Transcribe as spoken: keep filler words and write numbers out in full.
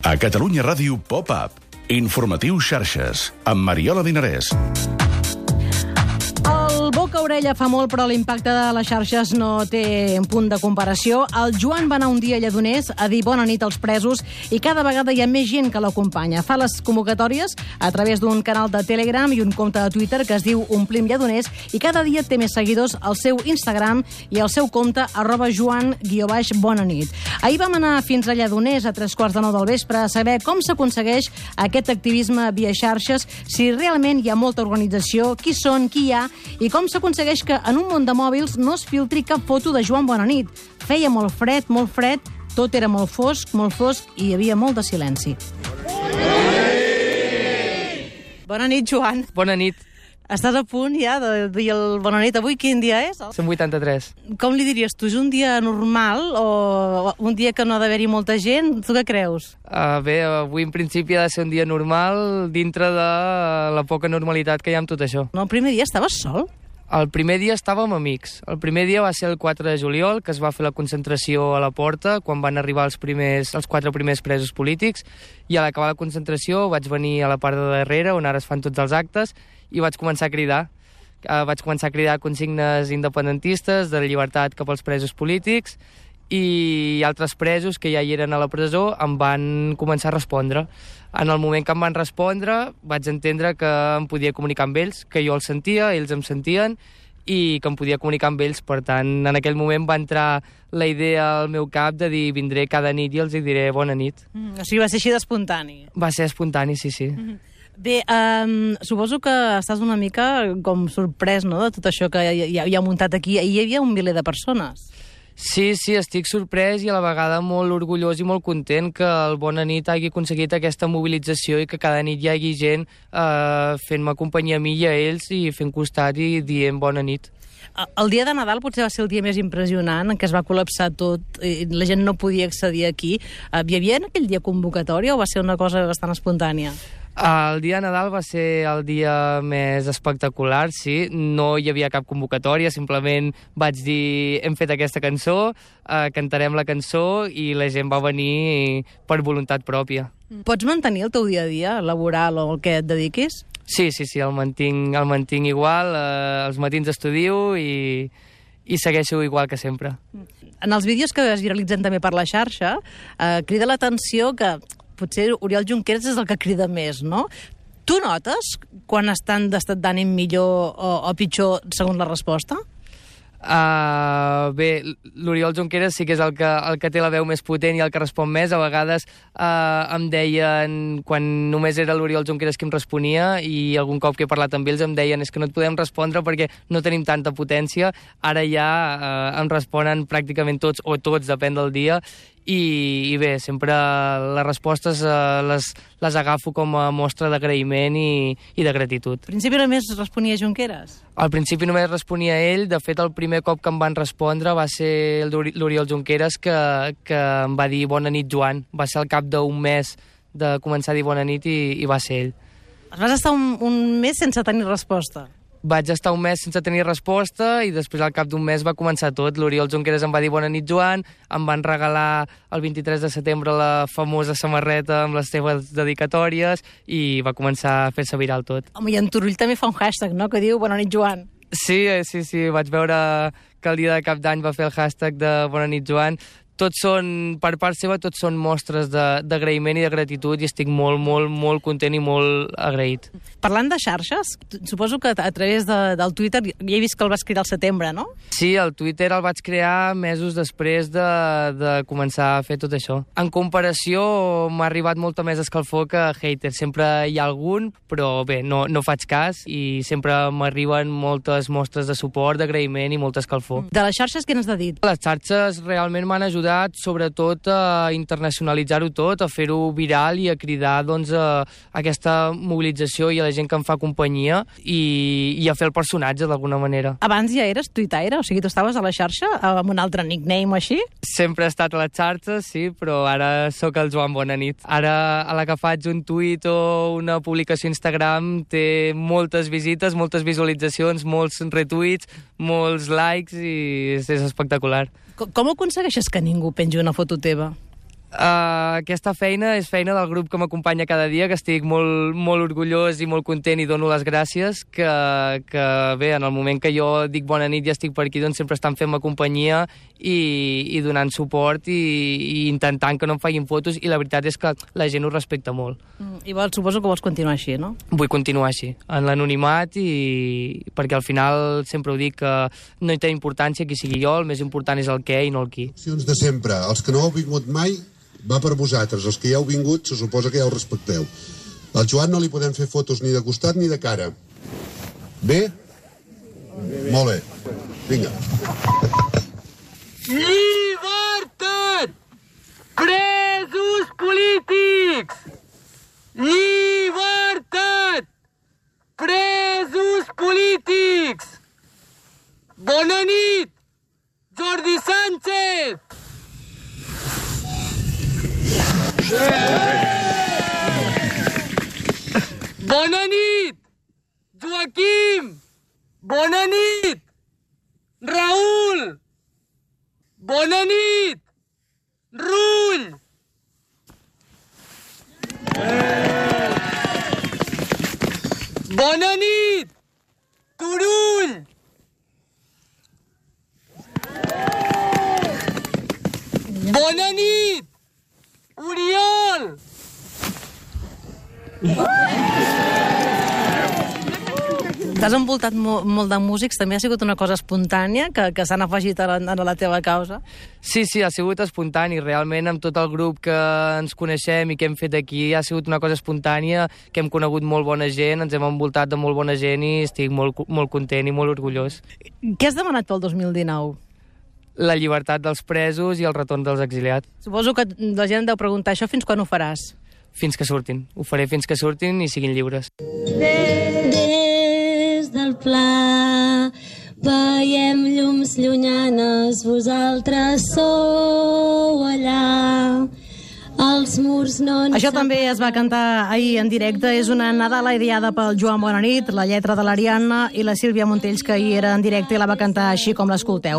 A Catalunya Ràdio Pop-Up. Informatiu Xarxes, amb Mariola Dinarès. El boca-orella fa molt, però l'impacte de les xarxes no té un punt de comparació. El Joan va anar un dia a Lledoners a dir bona nit als presos i cada vegada hi ha més gent que l'acompanya. Fa les convocatòries a través d'un canal de Telegram i un compte de Twitter que es diu Omplim Lledoners i cada dia té més seguidors al seu Instagram i al seu compte arroba joan guió baix bona nit. Ahir vam anar fins a Lledoners a tres quarts de nou del vespre a saber com s'aconsegueix aquest activisme via xarxes, si realment hi ha molta organització, qui són, qui hi ha i com s'aconsegueix que en un món de mòbils no es filtri cap foto de Joan Bonanit. Feia molt fred, molt fred, tot era molt fosc, molt fosc i hi havia molt de silenci. Bona nit, Joan. Bona nit. Estàs a punt ja de dir el bona nit. Avui quin dia és? Som vuitanta-tres. Com li diries tu? És un dia normal o un dia que no ha d'haver-hi molta gent? Tu què creus? Uh, bé, avui en principi ha de ser un dia normal dintre de la poca normalitat que hi ha amb tot això. No, el primer dia estaves sol? El primer dia estàvem amics. El primer dia va ser el quatre de juliol, que es va fer la concentració a la porta, quan van arribar els, primers, els quatre primers presos polítics, i a l'acabar la concentració vaig venir a la part de darrere, on ara es fan tots els actes, i vaig començar a cridar. Uh, vaig començar a cridar consignes independentistes, de llibertat cap als presos polítics, i altres presos que ja hi eren a la presó em van començar a respondre. En el moment que em van respondre vaig entendre que em podia comunicar amb ells, que jo els sentia, ells em sentien i que em podia comunicar amb ells. Per tant, en aquell moment va entrar la idea al meu cap de dir vindré cada nit i els hi diré bona nit. Mm, o sigui, va ser així d'espontani. Va ser espontani, sí, sí. Mm-hmm. Bé, um, suposo que estàs una mica com sorprès, no?, de tot això que hi ha, hi ha muntat aquí. Hi havia un miler de persones. Sí, sí, estic sorprès i a la vegada molt orgullós i molt content que el Bona Nit hagi aconseguit aquesta mobilització i que cada nit hi hagi gent eh, fent-me companyia a mi i a ells i fent costat i dient bona nit. El dia de Nadal potser va ser el dia més impressionant, en què es va col·lapsar tot i la gent no podia accedir aquí. Hi havia en aquell dia convocatòria o va ser una cosa bastant espontània? El dia de Nadal va ser el dia més espectacular, sí. No hi havia cap convocatòria, simplement vaig dir hem fet aquesta cançó, eh, cantarem la cançó i la gent va venir per voluntat pròpia. Pots mantenir el teu dia a dia laboral o el que et dediquis? Sí, sí, sí, el mantinc, el mantinc igual. Eh, els matins estudio i, i segueixo igual que sempre. En els vídeos que es viralitzen també per la xarxa, eh, crida l'atenció que potser Oriol Junqueras és el que crida més, no? Tu notes quan estan d'estat d'ànim millor o, o pitjor segons la resposta? Uh, bé, l'Oriol Junqueras sí que és el que, el que té la veu més potent i el que respon més. A vegades uh, em deien, quan només era l'Oriol Junqueras qui em responia i algun cop que he parlat amb ells em deien és que no et podem respondre perquè no tenim tanta potència. Ara ja uh, em responen pràcticament tots o tots, depèn del dia. I, i bé, sempre les respostes uh, les, les agafo com a mostra d'agraïment i, i de gratitud. Al principi només responia Junqueras? Al principi només responia ell. De fet, el primer cop que em van respondre va ser l'Oriol Junqueras que, que em va dir bona nit, Joan. Va ser al cap d'un mes de començar a dir bona nit i, i va ser ell. Vas estar un, un mes sense tenir resposta? Vaig estar un mes sense tenir resposta i després al cap d'un mes va començar tot. L'Oriol Junqueras em va dir bona nit, Joan, em van regalar el vint-i-tres de setembre la famosa samarreta amb les teves dedicatòries i va començar a fer-se viral tot. Home, i en Turull també fa un hashtag, no?, que diu bona nit, Joan. Sí, sí, sí, vaig veure que el dia de cap d'any va fer el hashtag de bona nit, Joan. Tots són, per part seva, tots són mostres d'agraïment i de gratitud i estic molt, molt, molt content i molt agraït. Parlant de xarxes, suposo que a través de, del Twitter, ja he vist que el vas crear al setembre, no? Sí, el Twitter el vaig crear mesos després de, de començar a fer tot això. En comparació, m'ha arribat molta més escalfor que hater. Sempre hi ha algun, però bé, no, no faig cas i sempre m'arriben moltes mostres de suport, d'agraïment i molta escalfor. De les xarxes, què n'has de dir? Les xarxes realment m'han ajudat sobretot a internacionalitzar-ho tot, a fer-ho viral i a cridar doncs, a aquesta mobilització i a la gent que em fa companyia i, i a fer el personatge d'alguna manera. Abans ja eres tuitaire? O sigui, tu estaves a la xarxa amb un altre nickname o així? Sempre he estat a les xarxes, sí, però ara sóc el Joan Bonanit. Ara, a la que faig un tuit o una publicació a Instagram té moltes visites, moltes visualitzacions, molts retuits, molts likes i és, és espectacular. Com aconsegueixes que ningú pengi una foto teva? Uh, aquesta feina és feina del grup que m'acompanya cada dia, que estic molt, molt orgullós i molt content i dono les gràcies, que, que bé, en el moment que jo dic bona nit i estic per aquí, doncs sempre estan fent-me companyia i, i donant suport i, i intentant que no em facin fotos, i la veritat és que la gent ho respecta molt. Mm, I vols, suposo que vols continuar així, no? Vull continuar així, en l'anonimat, i perquè al final sempre ho dic que no hi té importància qui sigui jo, el més important és el què i no el qui. De sempre, els que no heu vingut mai va per vosaltres, els que ja heu vingut se suposa que ja ho respecteu. Al Joan no li podem fer fotos ni de costat ni de cara. Bé? Bé, bé. Molt bé. Vinga. Llibertat! Presos polítics! Llibertat! Presos polítics! Bona nit! Jordi Sánchez! Bona nit! Joaquim! Bona nit! Raül! Bona nit! Rull! Bona nit! Turull! Bona nit! Oriol! T'has envoltat mo molt de músics, també ha sigut una cosa espontània que, que s'han afegit a la, a la teva causa? Sí, sí, ha sigut espontani. Realment, amb tot el grup que ens coneixem i que hem fet aquí, ha sigut una cosa espontània, que hem conegut molt bona gent, ens hem envoltat de molt bona gent i estic molt, molt content i molt orgullós. Què has demanat pel dos mil dinou? La llibertat dels presos i el retorn dels exiliats. Suposo que la gent deu preguntar això, fins quan ho faràs? Fins que surtin. Ho faré fins que surtin i siguin lliures. Des del pla veiem llums llunyanes, vosaltres sou allà. Els murs no... Això també es va cantar ahir en directe. És una Nadala ideada pel Joan Bonanit, la lletra de l'Ariadna i la Sílvia Montells, que ahir era en directe i la va cantar així com l'escolteu.